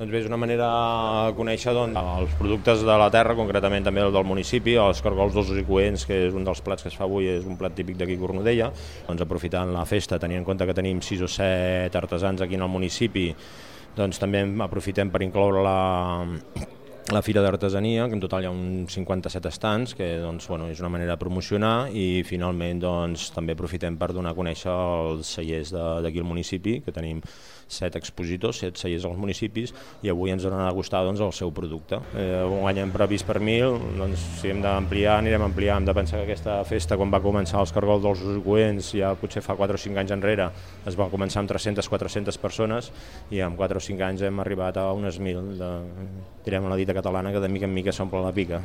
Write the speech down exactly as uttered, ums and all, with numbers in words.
Doncs bé, és una manera de conèixer doncs, els productes de la terra, concretament també el del municipi, els cargols dolços i coents, que és un dels plats que es fa avui, és un plat típic d'aquí Cornudella. Doncs aprofitant la festa, tenint en compte que tenim sis o set artesans aquí en el municipi, doncs també aprofitem per incloure la la Fira d'Artesania, que en total hi ha uns cinquanta-set estants, que doncs, bueno, és una manera de promocionar, i finalment doncs, també aprofitem per donar a conèixer els cellers d'aquí al municipi, que tenim set expositors, set cellers als municipis, i avui ens donen a degustar doncs, el seu producte. Eh, un any hem previst per mil, doncs si hem d'ampliar, anirem a ampliar. Hem de pensar que aquesta festa, quan va començar els cargols dolços i coents, ja potser fa quatre o cinc anys enrere, es va començar amb tres-centes a quatre-centes persones, i en quatre o cinc anys hem arribat a unes mil, de, direm a la dita catalana, que de mica en mica s'omple la pica.